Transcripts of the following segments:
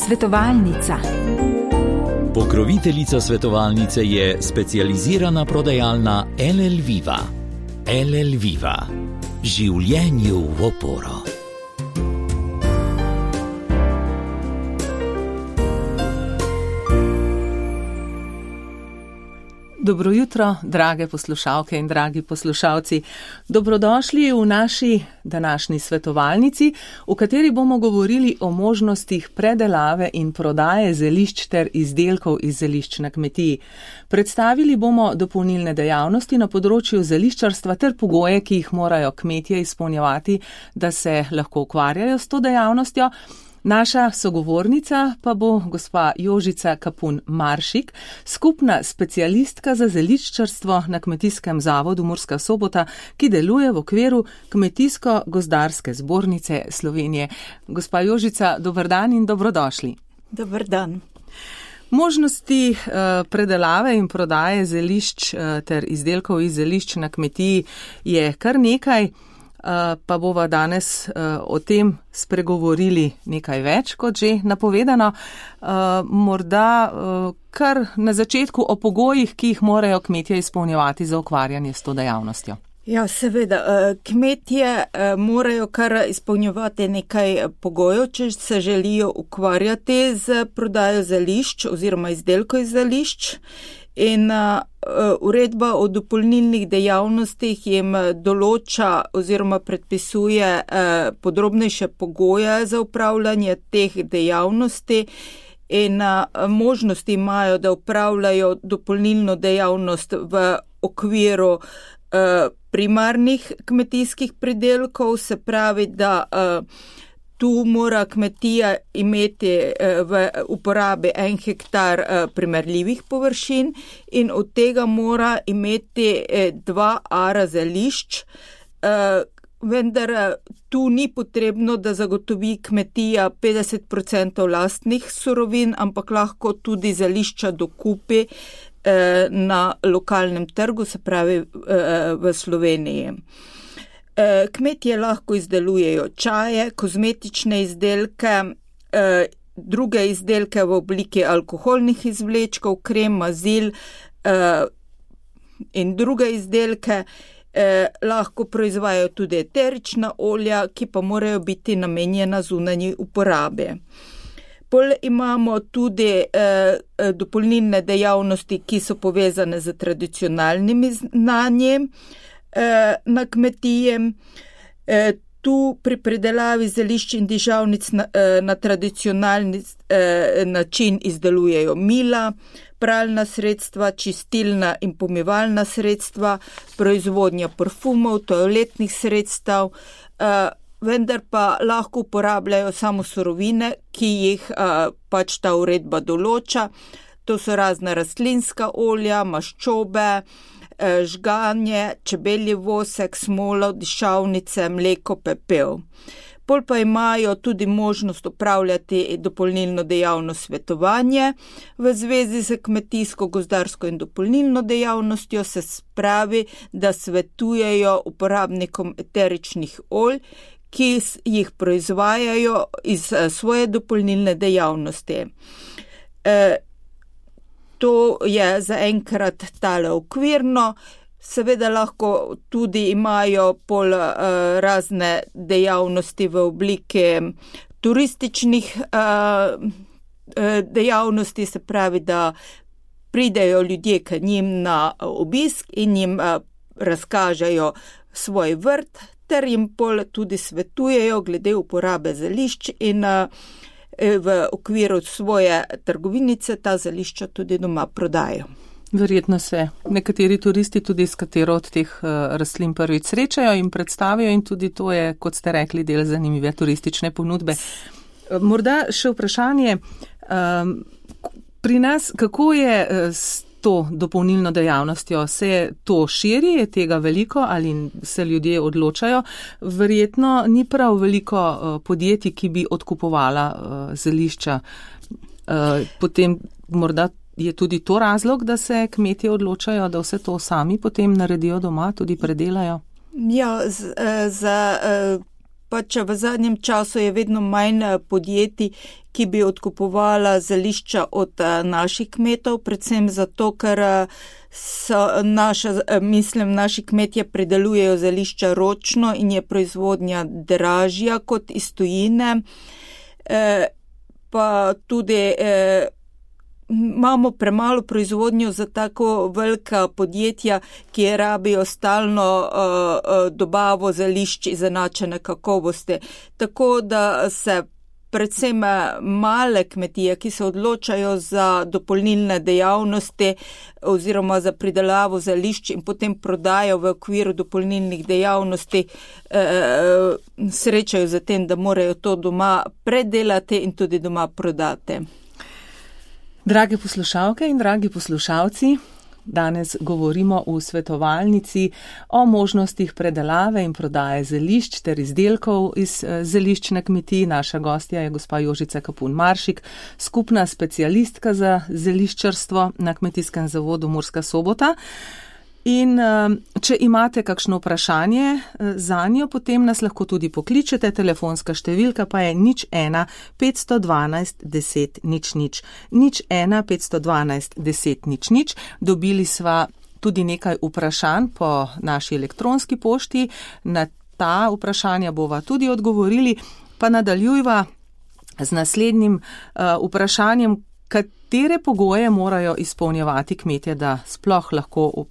Svetovalnica. Pokroviteljica svetovalnice je specializirana prodajalna LL Viva. LL Viva. Življenju v oporo. Dobro jutro, drage poslušalke in dragi poslušalci. Dobrodošli v naši današnji svetovalnici, v kateri bomo govorili o možnostih predelave in prodaje zelišč ter izdelkov iz zelišč na kmetiji. Predstavili bomo dopolnilne dejavnosti na področju zeliščarstva ter pogoje, ki jih morajo kmetje izpolnjevati, da se lahko ukvarjajo s to dejavnostjo. Naša sogovornica pa bo gospa Jožica Kapun Maršik, skupna specialistka za zeliščarstvo na Kmetijskem zavodu Murska Sobota, ki deluje v okviru Kmetijsko-gozdarske zbornice Slovenije. Gospa Jožica, dober dan in dobrodošli. Dober dan. Možnosti predelave in prodaje zelišč ter izdelkov iz zelišč na kmetiji je kar nekaj. Pa bova danes o tem spregovorili nekaj več, kot že napovedano. Morda kar na začetku o pogojih, ki jih morajo kmetje izpolnjevati za ukvarjanje s to dejavnostjo. Ja, seveda, kmetje morajo kar izpolnjevati nekaj pogojev, če se želijo ukvarjati z prodajo zelišč oziroma izdelkov iz zelišč. In uredba o dopolnilnih dejavnostih jim določa oziroma predpisuje podrobnejše pogoje za upravljanje teh dejavnosti in možnosti imajo, da upravljajo dopolnilno dejavnost v okviru primarnih kmetijskih pridelkov, se pravi, da tu mora kmetija imeti v uporabi 1 hektar primerljivih površin in od tega mora imeti 2 ara zelišč, vendar tu ni potrebno, da zagotovi kmetija 50% lastnih surovin, ampak lahko tudi zelišča dokupi na lokalnem trgu, se pravi v Sloveniji. Kmetje lahko izdelujejo čaje, kozmetične izdelke, druge izdelke v obliki alkoholnih izvlečkov, krem, mazil in druge izdelke. Lahko proizvajajo tudi eterična olja, ki pa morajo biti namenjena zunanji uporabi. Pol imamo tudi dopolnilne dejavnosti, ki so povezane z tradicionalnimi znanji na kmetiji. Tu pri predelavi zelišč in dižavnic na tradicionalni način izdelujejo mila, pralna sredstva, čistilna in pomivalna sredstva, proizvodnja parfumov, toaletnih sredstev, vendar pa lahko uporabljajo samo surovine, ki jih pač ta uredba določa. To so razna rastlinska olja, maščobe, žganje, čebelji vosek, smolo, dišavnice, mleko, pepel. Pol pa imajo tudi možnost upravljati dopolnilno dejavnost svetovanje. V zvezi z kmetijsko-gozdarsko in dopolnilno dejavnostjo se spravi, da svetujejo uporabnikom eteričnih olj, ki jih proizvajajo iz svoje dopolnilne dejavnosti. To je zaenkrat tale okvirno, seveda lahko tudi imajo pol razne dejavnosti v obliki turističnih dejavnosti, se pravi, da pridejo ljudje k njim na obisk in jim razkažejo svoj vrt, ter jim pol tudi svetujejo glede uporabe zelišč in v okviru svoje trgovinice ta zelišča tudi doma prodajo. Verjetno se nekateri turisti tudi s katero od teh rastlin prvič srečajo in predstavijo in tudi to je, kot ste rekli, del zanimive turistične ponudbe. Morda še vprašanje pri nas, kako je s to dopolnilno dejavnostjo? Se to širi, je tega veliko ali se ljudje odločajo? Verjetno ni prav veliko podjetij, ki bi odkupovala zelišča. Potem morda je tudi to razlog, da se kmetje odločajo, da vse to sami potem naredijo doma, tudi predelajo? Ja, za pač v zadnjem času je vedno manj podjetij, ki bi odkupovala zelišča od naših kmetov, predvsem zato, ker naši kmetje pridelujejo zelišča ročno in je proizvodnja dražja kot iz tujine. Pa tudi imamo premalo proizvodnjo za tako velika podjetja, ki rabijo stalno dobavo zelišč izenačene kakovosti. Tako da se predvsem male kmetije, ki se odločajo za dopolnilne dejavnosti oziroma za pridelavo zelišč in potem prodajo v okviru dopolnilnih dejavnosti, srečajo za tem, da morajo to doma predelati in tudi doma prodati. Drage poslušalke in dragi poslušalci, danes govorimo v svetovalnici o možnostih predelave in prodaje zelišč ter izdelkov iz zeliščne kmetije. Naša gostja je gospa Jožica Kapun Maršik, skupna specialistka za zeliščarstvo na Kmetijskem zavodu Murska Sobota. In če imate kakšno vprašanje zanjo, potem nas lahko tudi pokličete. Telefonska številka pa je 01 512 10 00. 01 512 10 00. Dobili sva tudi nekaj vprašanj po naši elektronski pošti. Na ta vprašanja bova tudi odgovorili. Pa nadaljujva z naslednjim vprašanjem, katere pogoje morajo izpolnjevati kmetje, da sploh lahko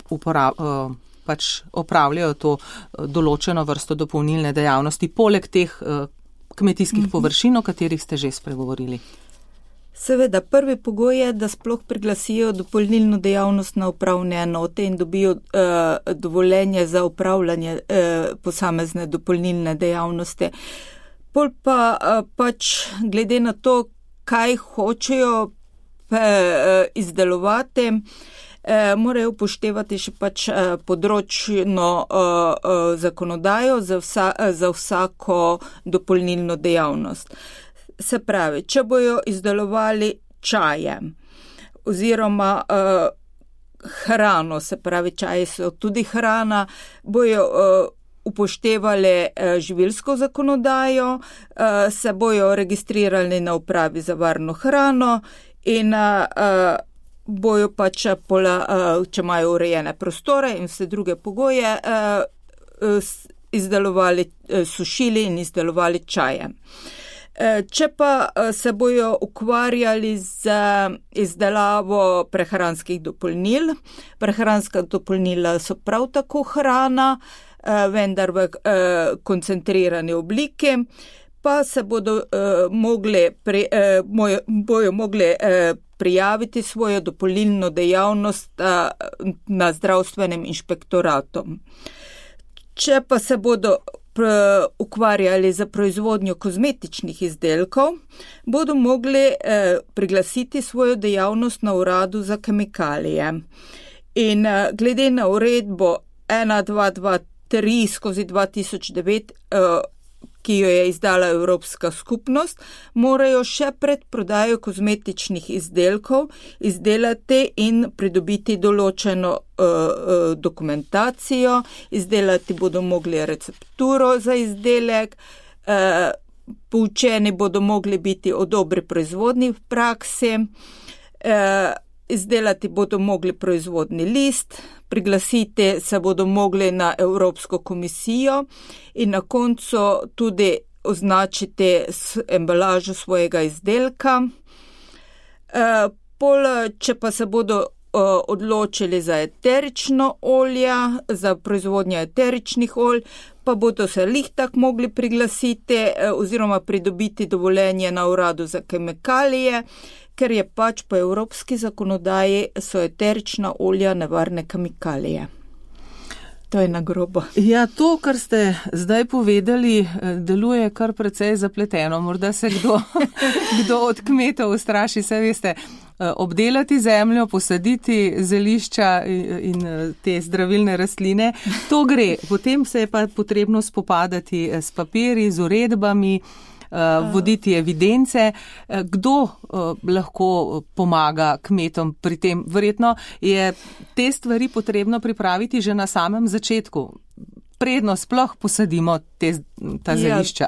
opravljajo to določeno vrsto dopolnilne dejavnosti, poleg teh kmetijskih površin, o katerih ste že spregovorili? Seveda, prvi pogoj je, da sploh priglasijo dopolnilno dejavnost na upravne enote in dobijo dovoljenje za upravljanje posamezne dopolnilne dejavnosti. Pol pa pač glede na to, kaj hočejo izdelovati, morajo upoštevati še pač področno zakonodajo za vsako dopolnilno dejavnost. Se pravi, če bojo izdelovali čaje oziroma hrano, se pravi, čaji so tudi hrana, bojo upoštevali živilsko zakonodajo, se bojo registrirali na upravi za varno hrano in bojo pač, če imajo urejene prostore in vse druge pogoje, izdelovali, sušili in izdelovali čaje. Če pa se bojo ukvarjali z izdelavo prehranskih dopolnil, prehranska dopolnila so prav tako hrana, vendar v koncentrirani obliki, pa se bodo mogli prijaviti svojo dopolnilno dejavnost na zdravstvenem inšpektoratu. Če pa se bodo ukvarjali za proizvodnjo kozmetičnih izdelkov, bodo mogli priglasiti svojo dejavnost na uradu za kemikalije. In glede na uredbo 1223/2009, ki jo je izdala Evropska skupnost, morajo še pred prodajo kozmetičnih izdelkov izdelati in pridobiti določeno dokumentacijo, izdelati bodo mogli recepturo za izdelek, poučeni bodo mogli biti o dobri proizvodni praksi, izdelati bodo mogli proizvodni list, priglasiti se bodo mogli na Evropsko komisijo in na koncu tudi označiti embalažo svojega izdelka. Če pa se bodo odločili za eterično olje, za proizvodnjo eteričnih olj, pa bodo se tak mogli priglasiti oziroma pridobiti dovoljenje na uradu za kemikalije, ker je pač po evropski zakonodaji so eterična olja nevarne kemikalije. To je na grobo. Ja, to, kar ste zdaj povedali, deluje kar precej zapleteno. Morda se kdo od kmetov ustraši, saj veste, obdelati zemljo, posaditi zelišča in te zdravilne rastline. To gre. Potem se je pa potrebno spopadati s papirji, z uredbami, voditi evidence. Kdo lahko pomaga kmetom pri tem? Verjetno je te stvari potrebno pripraviti že na samem začetku. predno sploh posadimo ta zelišča?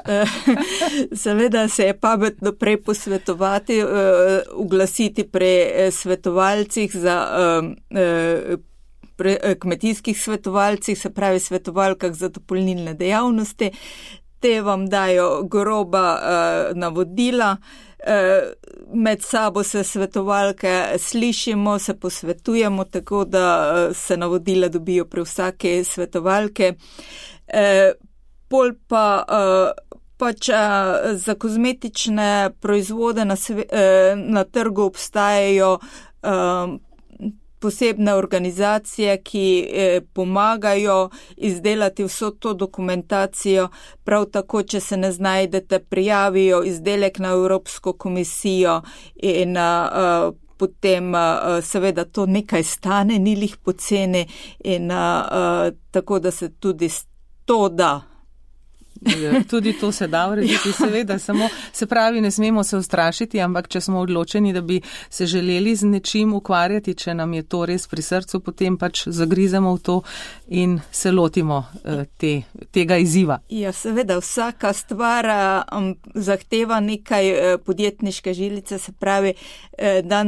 Seveda se je pametno prej posvetovati, uglasiti pri svetovalcih kmetijskih svetovalcih, se pravi svetovalkah za dopolnilne dejavnosti. Te vam dajo groba navodila, med sabo se svetovalke slišimo, se posvetujemo, tako da se navodila dobijo pri vsake svetovalke. Pol pa pač za kozmetične proizvode na trgu obstajajo posebne organizacije, ki pomagajo izdelati vso to dokumentacijo. Prav tako, če se ne znajdete, prijavijo izdelek na Evropsko komisijo in potem seveda to nekaj stane, ni lih poceni in tako, da se tudi to da. Tudi to se da urediti, seveda, samo se pravi, ne smemo se ustrašiti, ampak če smo odločeni, da bi se želeli z nečim ukvarjati, če nam je to res pri srcu, potem pač zagrizemo v to in se lotimo tega izziva. Ja, seveda, vsaka stvar zahteva nekaj podjetniške žilice, se pravi,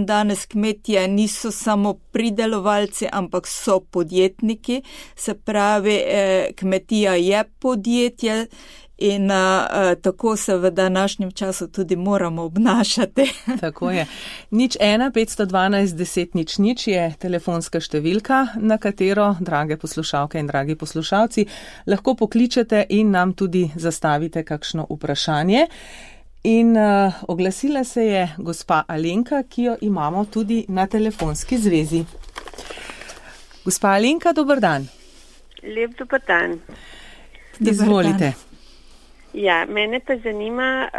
danes kmetje niso samo pridelovalci, ampak so podjetniki, se pravi, kmetija je podjetje, in tako se v današnjem času tudi moramo obnašati. Tako je. 01 512 10 00 je telefonska številka, na katero, drage poslušalke in dragi poslušalci, lahko pokličete in nam tudi zastavite kakšno vprašanje. In oglasila se je gospa Alenka, ki jo imamo tudi na telefonski zvezi. Gospa Alenka, dober dan. Lep dober dan. Izvolite. Ja, mene pa zanima,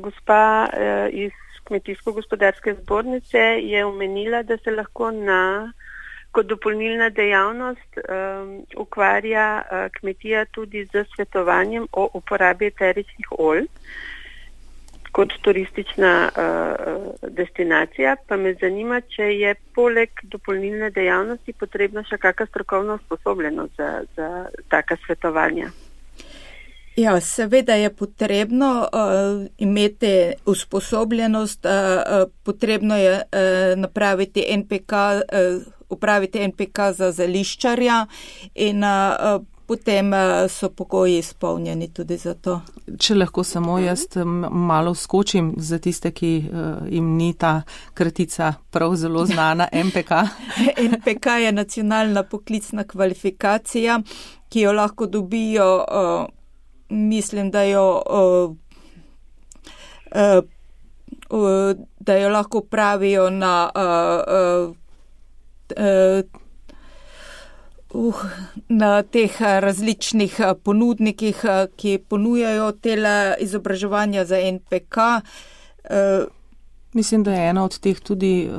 gospa iz Kmetijsko-gospodarske zbornice je omenila, da se lahko kot dopolnilna dejavnost ukvarja kmetija tudi z svetovanjem o uporabi eteričnih olj kot turistična destinacija. Pa me zanima, če je poleg dopolnilne dejavnosti potrebna še kakšna strokovna usposobljenost za taka svetovanja. Ja, seveda je potrebno imeti usposobljenost, potrebno je upraviti NPK za zeliščarja in potem so pogoji izpolnjeni tudi za to. Če lahko samo jaz malo skočim za tiste, ki jim ni ta kratica prav zelo znana, NPK. NPK je nacionalna poklicna kvalifikacija, ki jo lahko dobijo, mislim, da jo lahko pravijo na teh različnih ponudnikih, ki ponujajo tele izobraževanja za NPK. Mislim, da je ena od teh tudi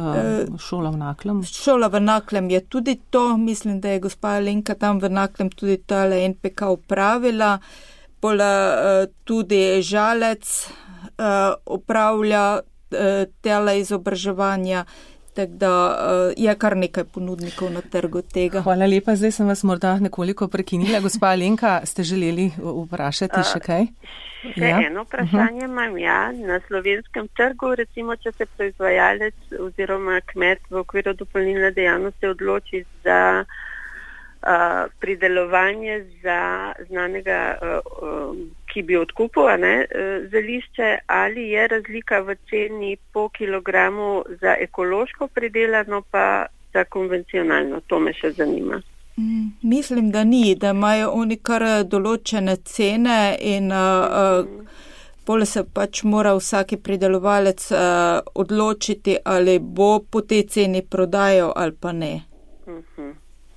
šola v Naklem. Šola v Naklem je tudi to. Mislim, da je gospa Alenka tam v Naklem tudi tale NPK upravila. Tudi Žalec upravlja tele izobraževanja. Tako da je kar nekaj ponudnikov na trgu tega. Hvala lepa, zdaj sem vas morda nekoliko prekinila. Gospa Alenka, ste želeli vprašati še kaj? Še eno vprašanje imam, na slovenskem trgu, recimo, če se proizvajalec oziroma kmet v okviru dopolnilne dejavnosti odloči za pridelovanje za znanega, ki bi odkupil zelišče, ali je razlika v ceni po kilogramu za ekološko pridelano pa za konvencionalno? To me še zanima. Mislim, da ni, da imajo oni kar določene cene in pol se pač mora vsaki pridelovalec odločiti, ali bo po tej ceni prodajal ali pa ne.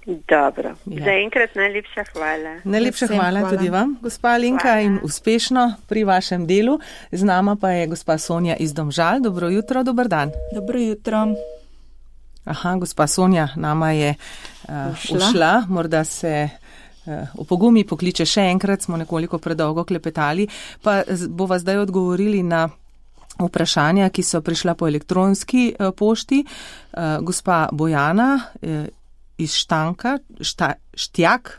Dobro. Za enkrat najlepša hvala. Najlepša hvala tudi vam, gospa Alenka, in uspešno pri vašem delu. Z nama pa je gospa Sonja iz Domžal. Dobro jutro, dober dan. Dobro jutro. Aha, gospa Sonja nama je ušla. Morda se opogumi pokliče še enkrat, smo nekoliko predolgo klepetali, pa bova zdaj odgovorili na vprašanja, ki so prišla po elektronski pošti. Gospa Bojana iz Štanka, Štjak,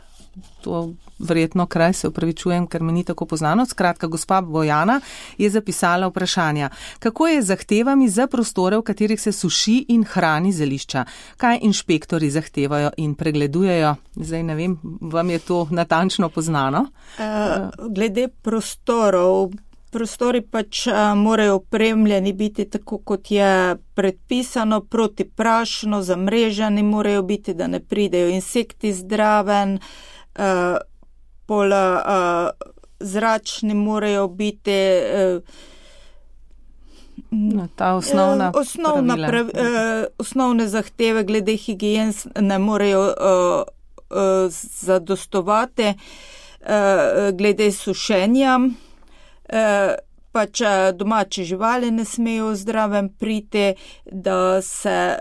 to verjetno kraj, se opravičujem, ker mi ni tako poznano. Skratka, gospa Bojana je zapisala vprašanja. Kako je z zahtevami za prostore, v katerih se suši in hrani zelišča? Kaj inšpektori zahtevajo in pregledujejo? Zdaj ne vem, vam je to natančno poznano? Glede prostorov, prostori pač morajo opremljeni biti tako, kot je predpisano, protiprašno, zamreženi morajo biti, da ne pridejo insekti zdraven, zračni morajo biti. Ta osnovne zahteve glede higien ne morejo zadostovati, glede sušenja. Pač domače živali ne smejo zdravem priti, da se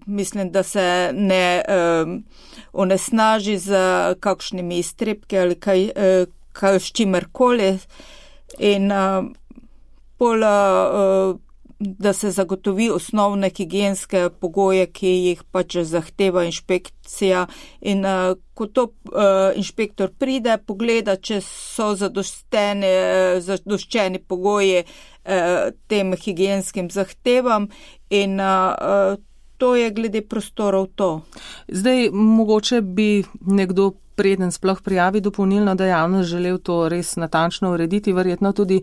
mislim, da se ne onesnaži z kakšnimi iztrebki ali kaj s čimerkoli in da se zagotovi osnovne higienske pogoje, ki jih pač zahteva inšpekcija in ko to inšpektor pride, pogleda, če so zadoščeni pogoji tem higienskim zahtevam in to je glede prostorov to. Zdaj, mogoče bi nekdo preden sploh prijavi dopolnilno dejavnost želel to res natančno urediti, verjetno tudi,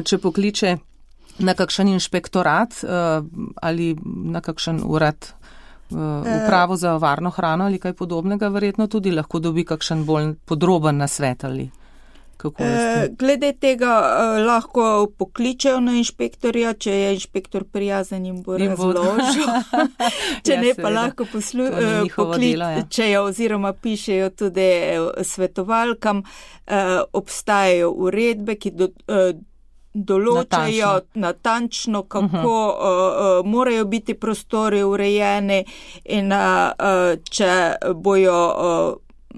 če pokliče na kakšen inšpektorat ali na kakšen urad upravo za varno hrano ali kaj podobnega, verjetno tudi lahko dobi kakšen bolj podroben nasvet ali kako je. Glede tega lahko pokličejo na inšpektorja, če je inšpektor prijazen jim bo razložil. Če ne, pa lahko pokličejo oziroma pišejo tudi svetovalkam. Obstajajo uredbe, ki določajo natančno kako morajo biti prostori urejeni in če bojo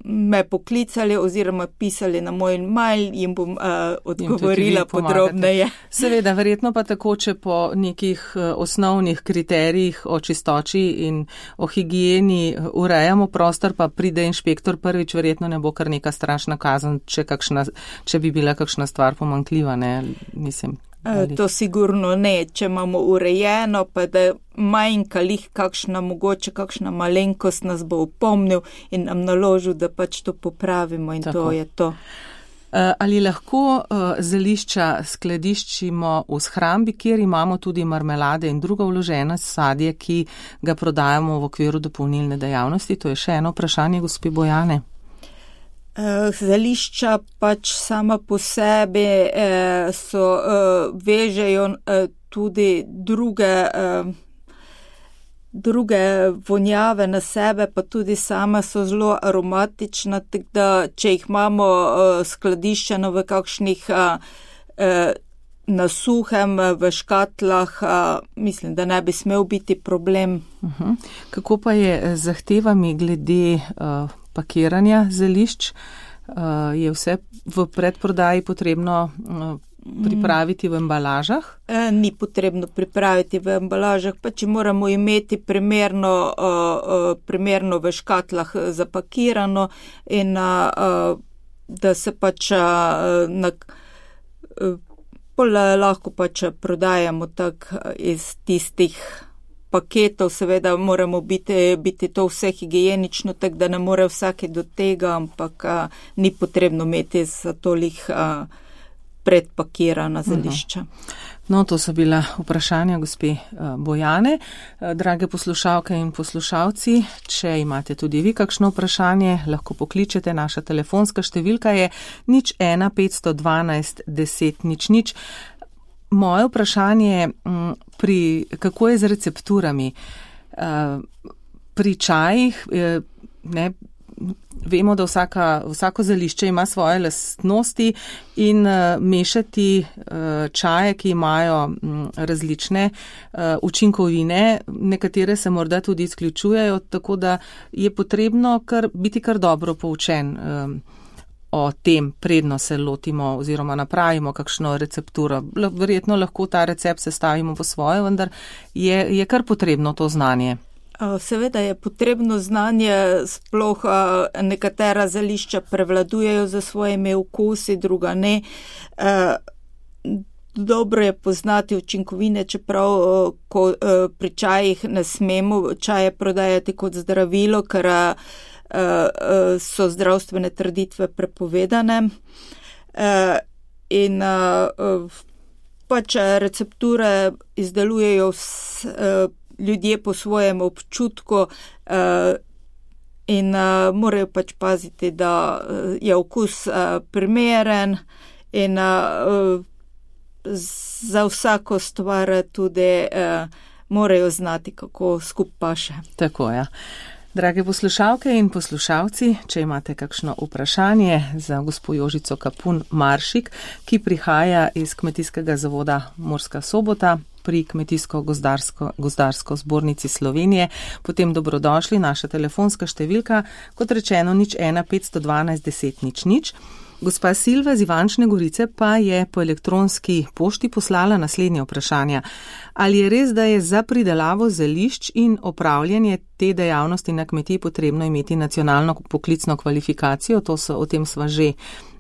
me poklicali oziroma pisali na moj mail, jim bom odgovorila podrobneje. Seveda, verjetno pa tako, če po nekih osnovnih kriterijih o čistoči in o higieni urejamo prostor, pa pride inšpektor prvič, verjetno ne bo kar neka strašna kazen, če bi bila kakšna stvar pomanjkljiva, ne, mislim. To sigurno ne, če imamo urejeno, pa da manjka lih mogoče kakšna malenkost nas bo upomnil in nam naložil, da pač to popravimo in tako. To je to. Ali lahko zelišča skladiščimo v shrambi, kjer imamo tudi marmelade in drugo vloženo sadje, ki ga prodajamo v okviru dopolnilne dejavnosti? To je še eno vprašanje, gospe Bojane. Zelišča pač sama po sebi vežejo tudi druge vonjave na sebe, pa tudi sama so zelo aromatična, tako da če jih imamo skladiščeno v kakšnih na suhem, v škatlah, mislim, da ne bi smel biti problem. Kako pa je z zahtevami glede pakiranja zelišč? Je vse v predprodaji potrebno pripraviti v embalažah? Ni potrebno pripraviti v embalažah, pa če moramo imeti primerno v škatlah zapakirano in da se pač lahko pač prodajamo tak iz tistih paketov, seveda moramo biti to vse higienično, tako da ne more vsake do tega, ampak ni potrebno imeti za tolih predpakirana zelišča. No, to so bila vprašanja gospe Bojane. Drage poslušalke in poslušalci, če imate tudi vi kakšno vprašanje, lahko pokličete. Naša telefonska številka je 01 512 10 00. Moje vprašanje kako je z recepturami? Pri čajih, vemo, da vsako zelišče ima svoje lastnosti in mešati čaje, ki imajo različne učinkovine, nekatere se morda tudi izključujejo, tako da je potrebno biti kar dobro poučen o tem, predno se lotimo oziroma napravimo kakšno recepturo. Verjetno lahko ta recept sestavimo po svoje, vendar je kar potrebno to znanje. Seveda je potrebno znanje, sploh nekatera zelišča prevladujejo za svojimi okusi, druga ne. Dobro je poznati učinkovine, čeprav ko pri čajih ne smemo čaje prodajati kot zdravilo, ker so zdravstvene trditve prepovedane. In pač recepture izdelujejo ljudje po svojem občutku in morajo pač paziti, da je okus primeren in za vsako stvar tudi morajo znati, kako skup paše. Tako, ja. Drage poslušalke in poslušalci, če imate kakšno vprašanje za gospo Jožico Kapun Maršik, ki prihaja iz Kmetijskega zavoda Murska Sobota pri Kmetijsko-gozdarsko zbornici Slovenije, potem dobrodošli, naša telefonska številka, kot rečeno 01 512 10 00. Gospa Silva z Ivančne Gorice pa je po elektronski pošti poslala naslednje vprašanja. Ali je res, da je za pridelavo zelišč in opravljanje te dejavnosti na kmetiji potrebno imeti nacionalno poklicno kvalifikacijo? O tem sva že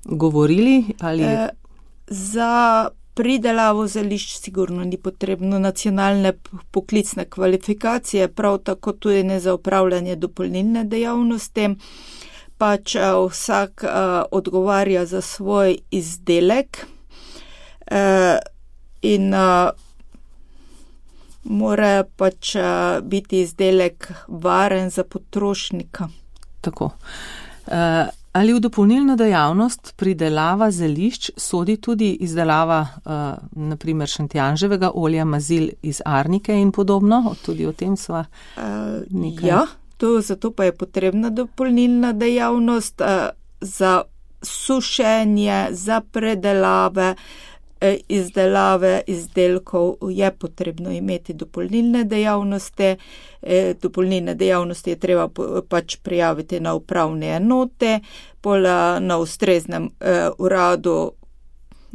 govorili. Za pridelavo zelišč sigurno ni potrebno nacionalne poklicne kvalifikacije, prav tako tudi ne za opravljanje dopolnilne dejavnosti. Pač vsak odgovarja za svoj izdelek in mora pač biti izdelek varen za potrošnika. Tako. Ali v dopolnilno dejavnost pridelava zelišč sodi tudi izdelava naprimer šentjanževega olja, mazil iz arnike in podobno? Tudi o tem sva nekaj... Ja. Zato pa je potrebna dopolnilna dejavnost za sušenje, za predelave, izdelave izdelkov je potrebno imeti dopolnilne dejavnosti. Dopolnilne dejavnosti je treba pač prijaviti na upravne enote, na ustreznem uradu,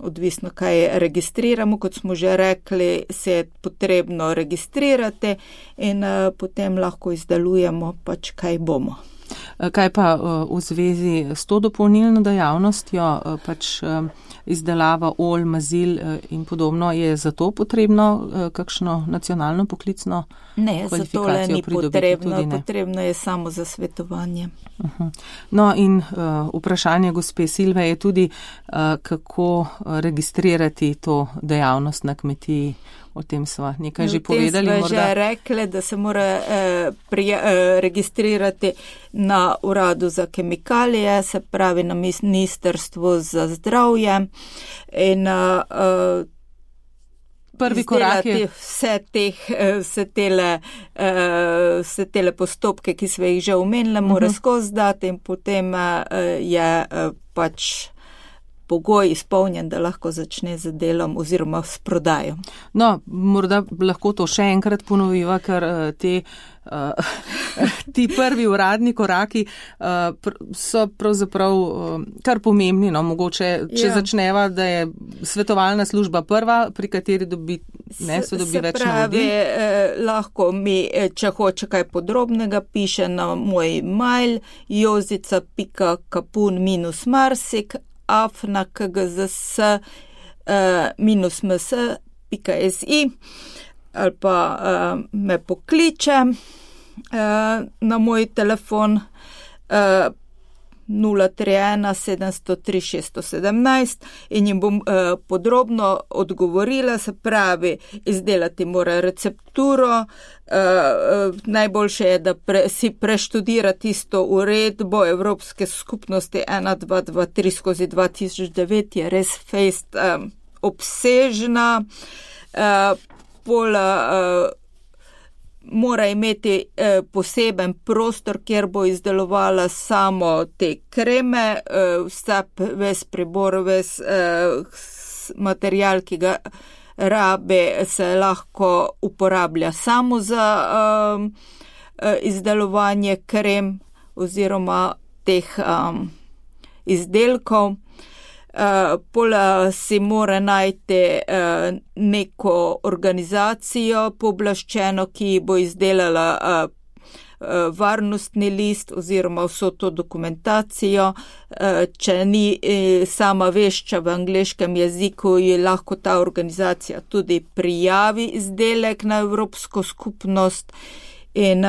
odvisno kaj registriramo, kot smo že rekli, se je potrebno registrirati in potem lahko izdelujemo pač kaj bomo. Kaj pa v zvezi s to dopolnilno dejavnostjo, pač izdelava olj, mazil in podobno, je za to potrebno kakšno nacionalno poklicno kvalifikacijo pridobiti? Ne, potrebno je samo za svetovanje. No in vprašanje gospe Silve je tudi, kako registrirati to dejavnost na kmetiji. O tem sva nekaj že povedali. O tem sva že rekli, da se mora registrirati na uradu za kemikalije, se pravi na Ministrstvu za zdravje in prvi korak je vse tele postopke, ki smo jih že omenili, mora skozi dati in potem je pač pogoj izpolnjen, da lahko začne z delom oziroma s prodajo. No, morda lahko to še enkrat ponoviva, ker ti prvi uradni koraki so pravzaprav kar pomembni. No, mogoče, če začneva, da je svetovalna služba prva, pri kateri dobi več navodil. Lahko mi, če hoče kaj podrobnega, piše na moj mail jozica.kapun-marsik afna.kgzs-ms.si ali pa me pokliče na moj telefon 031 703 617 in jim bom podrobno odgovorila, se pravi, izdelati mora recepturo, najboljše je, da si preštudira tisto uredbo Evropske skupnosti 1223/2009, je res fejst obsežna, mora imeti poseben prostor, kjer bo izdelovala samo te kreme, ves pribor, ves material, ki ga rabe, se lahko uporablja samo za izdelovanje krem oziroma teh izdelkov. Pola si mora najti neko organizacijo pooblaščeno, ki bo izdelala varnostni list oziroma vso to dokumentacijo. Če ni sama vešča v angleškem jeziku, je lahko ta organizacija tudi prijavi izdelek na Evropsko skupnost in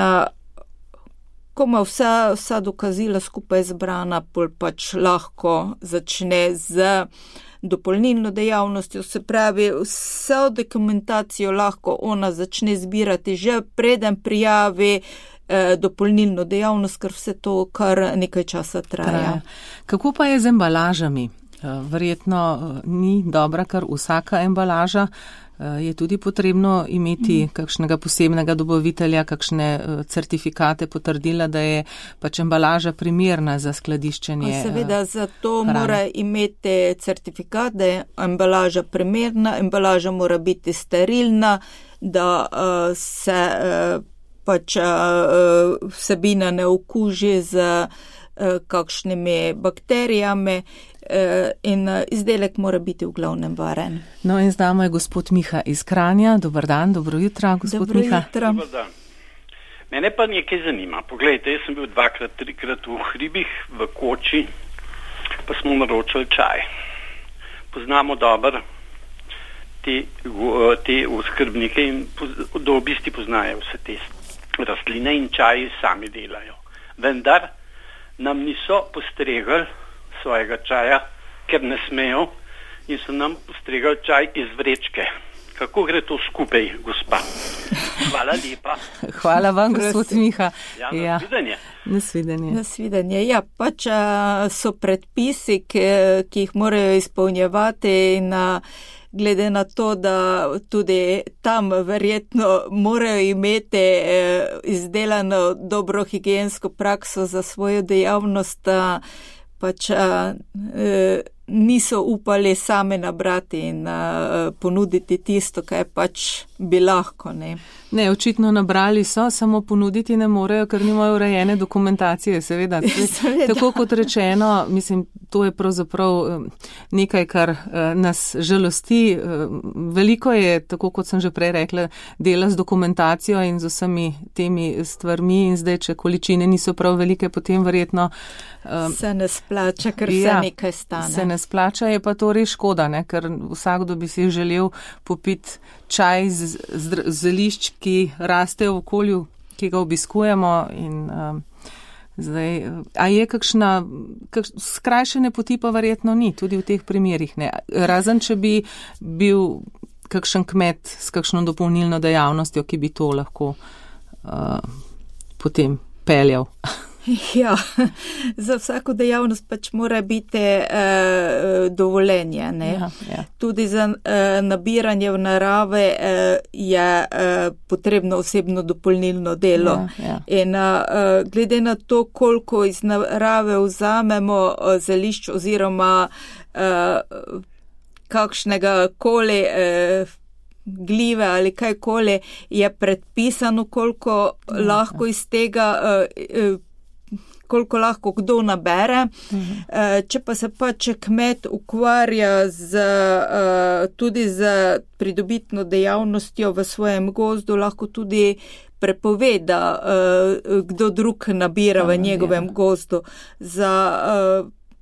ko ima vsa dokazila skupaj zbrana, pol pač lahko začne z dopolnilno dejavnostjo, se pravi, vso dokumentacijo lahko ona začne zbirati že preden prijavi dopolnilno dejavnost, ker vse to kar nekaj časa traja. Kako pa je z embalažami? Verjetno ni dobra kar vsaka embalaža. Je tudi potrebno imeti kakšnega posebnega dobavitelja, kakšne certifikate, potrdila, da je pač embalaža primerna za skladiščenje. Seveda, zato mora imeti certifikat, da je embalaža primerna, embalaža mora biti sterilna, da se pač vsebina ne okuži z kakšnimi bakterijami in izdelek mora biti v glavnem varen. No in z nami je gospod Miha iz Kranja. Dobar dan, dobro jutro, gospod Miha. Dobar dan. Mene pa nekaj zanima. Poglejte, jaz sem bil 2-krat, 3-krat v hribih, v Koči, pa smo naročili čaj. Poznamo dobro te oskrbnike in da v bistvu poznajo vse te rastline in čaji sami delajo. Vendar nam niso postregli svojega čaja, ker ne smejo, in so nam postregali čaj iz vrečke. Kako gre to skupaj, gospa? Hvala lepa. Hvala vam, gospod Miha. Nasvidenje. Nasvidenje. Ja, pač so predpisi, ki jih morajo izpolnjevati in glede na to, da tudi tam verjetno morajo imeti izdelano dobro higiensko prakso za svojo dejavnost, pač niso upali same nabrati in ponuditi tisto, kaj pač bi lahko, ne. Ne, očitno nabrali so, samo ponuditi ne morejo, ker nimajo urejene dokumentacije, seveda. Tako kot rečeno, mislim, to je pravzaprav nekaj, kar nas žalosti. Veliko je, tako kot sem že prej rekla, dela z dokumentacijo in z vsemi temi stvarmi in zdaj, če količine niso prav velike, potem verjetno se ne splača, ker se nekaj stane. Se ne splača, je pa to res škoda, ne? Ker vsakdo bi si želel popiti čaj z zelišč, ki raste v okolju, ki ga obiskujemo in zdaj, a je kakšna skrajšane poti pa verjetno ni, tudi v teh primerih ne. Razen, če bi bil kakšen kmet s kakšno dopolnilno dejavnostjo, ki bi to lahko potem peljal. Ja, za vsako dejavnost pač mora biti dovoljenje, ne. Ja. Tudi za nabiranje v narave je potrebno osebno dopolnilno delo. Ja. In glede na to, koliko iz narave vzamemo zelišč oziroma kakšnega koli gljive ali kajkoli, je predpisano, koliko lahko iz tega koliko lahko kdo nabere. Če pa se pač kmet ukvarja tudi z pridobitno dejavnostjo v svojem gozdu, lahko tudi prepove, da kdo drug nabira v njegovem gozdu. Za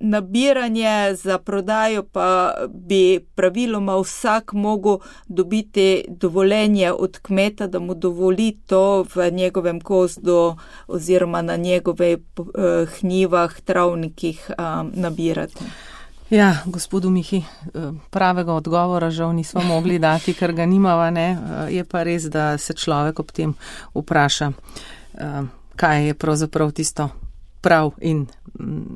nabiranje, za prodajo pa bi praviloma vsak mogel dobiti dovoljenje od kmeta, da mu dovoli to v njegovem gozdu oziroma na njegove hnjivah, travnikih nabirati. Ja, gospodu Mihi, pravega odgovora žal nismo mogli dati, ker ga nimava, ne. Je pa res, da se človek ob tem vpraša, kaj je pravzaprav tisto prav in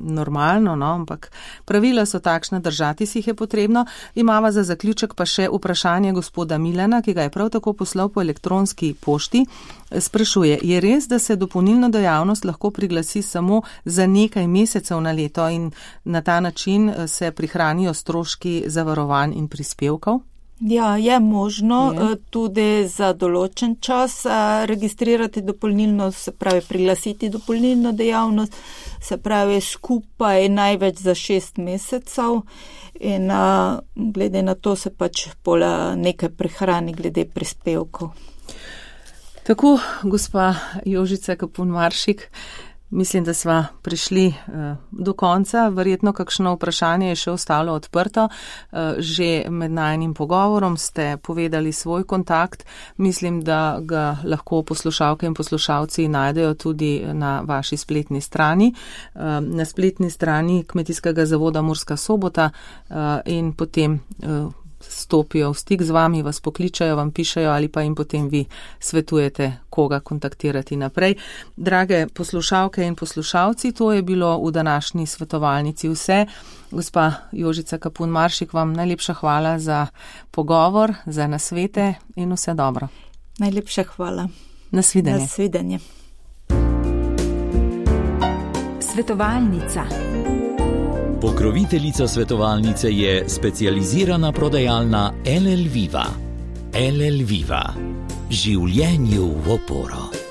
normalno, no, ampak pravila so takšna, držati si jih je potrebno. Imava za zaključek pa še vprašanje gospoda Milana, ki ga je prav tako poslal po elektronski pošti. Sprašuje, je res, da se dopolnilno dejavnost lahko priglasi samo za nekaj mesecev na leto in na ta način se prihranijo stroški zavarovanj in prispevkov? Ja, je možno tudi za določen čas registrirati dopolnilno, se pravi priglasiti dopolnilno dejavnost, se pravi skupaj največ za 6 mesecev in glede na to se pač nekaj prihrani glede prispevkov. Tako, gospa Jožica Kapun Maršik, mislim, da sva prišli do konca. Verjetno kakšno vprašanje je še ostalo odprto. Že med najnim pogovorom ste povedali svoj kontakt. Mislim, da ga lahko poslušalke in poslušalci najdejo tudi na vaši spletni strani. Na spletni strani Kmetijskega zavoda Murska Sobota in potem stopijo v stik z vami, vas pokličajo, vam pišejo ali pa jim potem vi svetujete, koga kontaktirati naprej. Drage poslušalke in poslušalci, to je bilo v današnji svetovalnici vse. Gospa Jožica Kapun Maršik, vam najlepša hvala za pogovor, za nasvete in vse dobro. Najlepša hvala. Nasvidenje. Nasvidenje. Svetovalnica. Pokroviteljica svetovalnice je specializirana prodajalna LL Viva. LL Viva. Življenju v oporo.